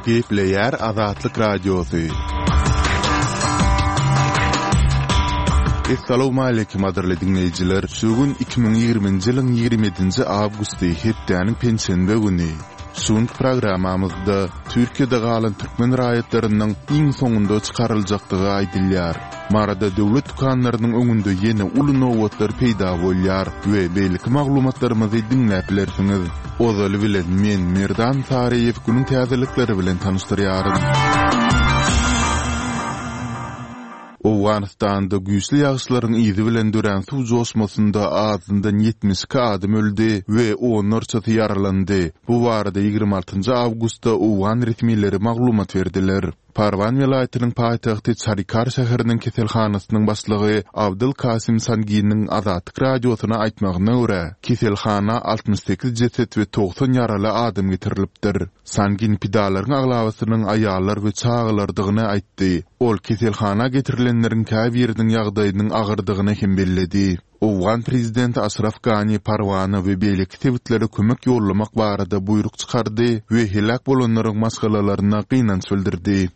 Gepleýär Azatlyk Radiosy. Essalawmaleýkim gadyrly diňleýjiler! Şu gün 2020-nji ýylyň 27-nji awgusty, hepdäniň penşenbe güni. Şu günki programmamyzda Türkiýede galan türkmen raýatlarynyň iň soňunda çykaryljakdygy aýdylýar. Maryda döwlet dükanlarynyň öňünde ýene uly nobatlar peýda bolýar we beýleki maglumatlarymyzy diňläp bilersiňiz. Ozaly bilen men, Merdan Saryýew günüň täzelikleri bilen tanyşdyrýaryn. Owganystanda güýçli ýagyşlaryň yzy bilen dörän suw joşmasynda azyndan 72 adam öldi we onlarçasy ýaralandy. Bu barada 26 awgustda owgan resmileri maglumat berdiler. Parwan welaýatynyň paýtagty Çarikar şäheriniň keselhanasynyň başlygy Abdyl Kasim Sanginiň Azatlyk Radiosyna aýtmagyna görä, keselhana 68 jeset we 90 ýaraly adam getirilipdir. Sangin pidalaryň aglabasynyň aýallar we çagalardygyny aýtdy. Ol keselhana getirilenleriň käbiriniň ýagdaýynyň agyrdygyny hem belledi. Owgan prezidenti Aşraf Gani Parwana we beýleki sebitlere kömek ýollamak barada buýruk çykardy we heläk bolanlaryň maşgalalaryna gynanç bildirdi.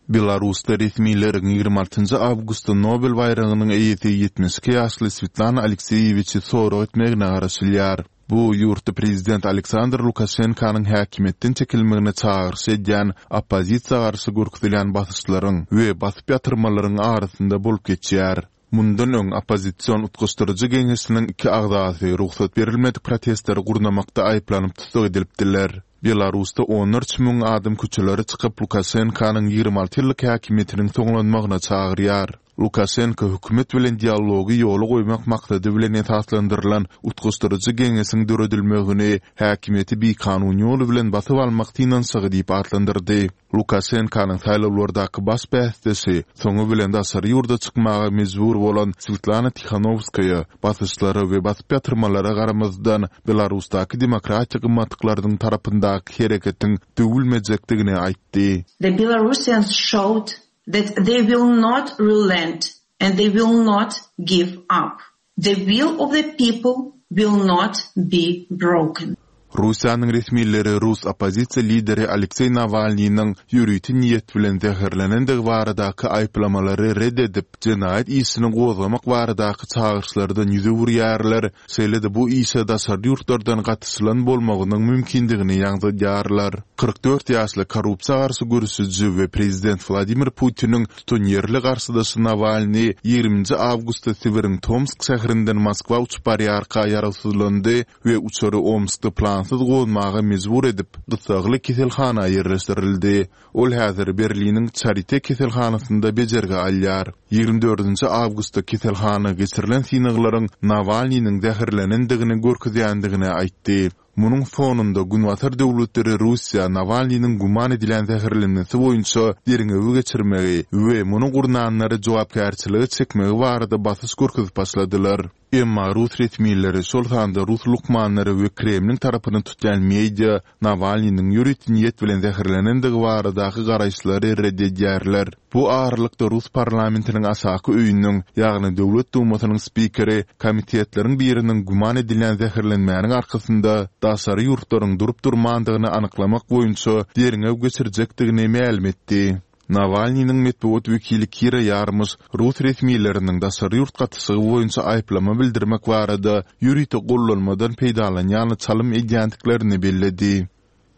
Belarusda resmileriň 26 awgustda Nobel baýragynyň eýesi 72 ýaşly Swetlana Alekseýewiçi sorag etmegine garaşylýar. Bu ýurtda prezident Aleksandr Lukaşenkanyň häkimiýetden çekilmegine çagyryş edýän oppozisiýa garşy görkezilýän basyşlaryň we basyp ýatyrmalaryň arasynda bolup geçýär. Mundan öň oppozision utgaşdyryjy geňeşiniň iki agzasy rugsat berilmedik protestleri gurnamakda aýyplanyp tussag edilipdiler. Belarusda onlarça müň adam köçelere çykyp Lukaşenkanyň 26 ýyllyk häkimiýetiniň soňlanmagyna çagyrýar. Lukaşenko hökümet bilen dialogy ýola goýmak maksady bilen esaslandyrylan utgaşdyryjy geňeşiň döredilmegini häkimiýeti bikanun ýol bilen basyp almak synanyşygy diýip atlandyrdy. Lukaşenkanyň saýlawlardaky baş bäsdeşi, soňy bilen daşary ýurda çykmaga mejbur bolan Swetlana Tihanowskaýa, basyşlara we basyp ýatyrmalara garamazdan, Belarusdaky demokratiýa gymmatlyklarynyň tarapyndaky hereketiň döwülmejekdigini aýtdy. The Belarusians showed that they will not relent and they will not give up. The will of the people will not be broken. Russiýanyň resmileri rus oppozisiýa lideri Alekseý Nawalnynyň ýörite niýet bilen zäherlenendigi baradaky aýyplamalary red edip, jenaýat işini gozgamak baradaky çagyryşlardan ýüz öwürýärler, şeýle-de bu işe daşary ýurtlardan gatyşylan bolmagynyň mümkindigini ýaňzydýarlar. 44 ýaşly korrupsiýa garşy göreşiji we prezident Wladimir Putiniň Tutanýerli garşydaşy Nawalnyý ýigriminji awgustda Sibiriň Tomsk şäherinden Moskwa uçup barýarka ýarawsyzlandy we uçary Omskda plansyz gonmaga mejbur edip, gyssagly keselhana ýerleşdirildi. Ol häzir Berliniň Çarite keselhanasynda bejergi alýar. Ýigrimi dördünji awgustda keselhana geçirilen synaglaryň Nawalnynyň zäherlenendigini görkezýändigini aýtdy. Munuň fonunda Günbatar döwletleri Russiýa Nawalnynyň güman edilýän zäherlenmesi boýunça derňewi geçirmegi we muny gurnanlary jogapkärçilige çekmegi barada basyş görkezip başladylar. Emma rus resmileri, şol sanda rus lukmanlary we Kremliň tarapyny tutýan media Nawalnynyň ýörite niýet bilen zäherlenendigi baradaky garaýyşlary ret edýärler. Bu aralykda rus parlamentiniň aşaky öýüniň, ýagny Döwlet Dumasynyň spikeri komitetleriň biriniň güman edilýän zäherlenmäniň arkasynda daşary ýurtlaryň durup-durmandygyny anyklamak boýunça derňew geçirjekdigini mälim etdi. Nawalnynyň metbugat wekili Kira Ýarmyş rus resmileriniň daşary ýurt gatyşygy boýunça aýyplama bildirmek barada ýörite gollanmadan peýdalanýany çalym edýändiklerini belledi.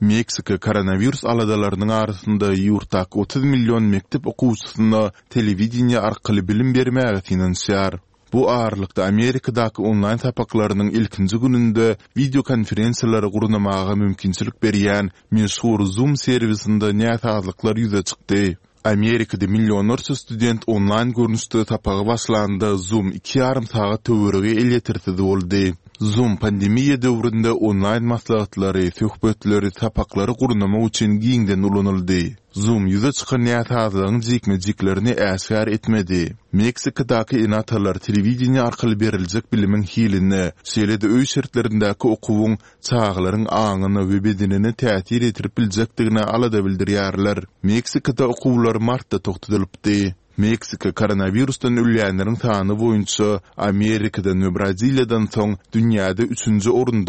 Meksika koronawirus aladalarynyň arasynda ýurtdaky 30 million mekdep okuwçysyna telewideniýe arkaly bilim bermäge synanyşýar. Bu aralykda Amerikadaky onlaýn sapaklarynyň ilkinji gününde wideokonferensiýalary gurnamaga mümkinçilik berýän meşhur Zoom serwisinde näsazlyklar ýüze çykdy. Amerikada millionlarça student onlaýn görnüşde sapaga başlanda Zoom iki ýarym sagat töweregi elýetersiz boldy. Zoom pandemiýa döwründe onlaýn maslahatlary, söhbetleri, sapaklary gurnamak üçin giňden ulanyldy. Zoom ýüze çykan näsazlygyň jikme-jiklerini äşgär etmedi. Meksikadaky ene-atalar telewideniýe arkaly beriljek bilimiň hiline, şeýle-de öý şertlerindäki okuwyň çagalaryň aňyna we bedenine täsir ýetirip biljekdigine alada bildirýärler. Meksikada okuwlar martda togtadylypdy. Meksika koronawirusdan ölýänleriň sany boýunça Amerikadan we Braziliýadan soň dünýäde üçünji orunda.